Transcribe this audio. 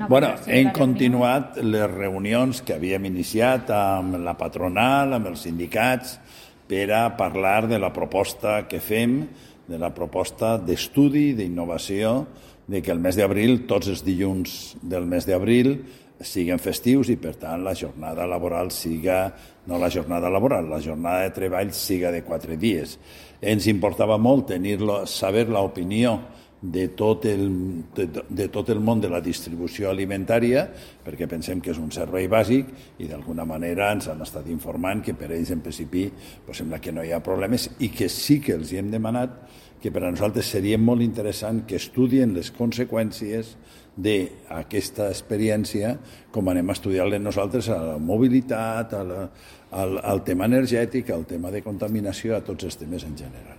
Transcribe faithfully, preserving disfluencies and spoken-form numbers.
Bueno, hem continuat les reunions que havíem iniciat amb la patronal, amb els sindicats, per a parlar de la proposta que fem, de la proposta d'estudi, d'innovació, de que el mes d'abril, tots els dilluns del mes d'abril, siguin festius i, per tant, la jornada laboral siga, no la jornada laboral, la jornada de treball siga de quatre dies. Ens importava molt tenir-lo, saber l'opinió de tot, el, de, de tot el món de la distribució alimentària, perquè pensem que és un servei bàsic i d'alguna manera ens han estat informant que per ells en principi pues, sembla que no hi ha problemes i que sí que els hi hem demanat que per a nosaltres seria molt interessant que estudien les conseqüències d'aquesta experiència com anem a estudiar-les nosaltres a la mobilitat, a la, al, al tema energètic, al tema de contaminació, a tots els temes en general.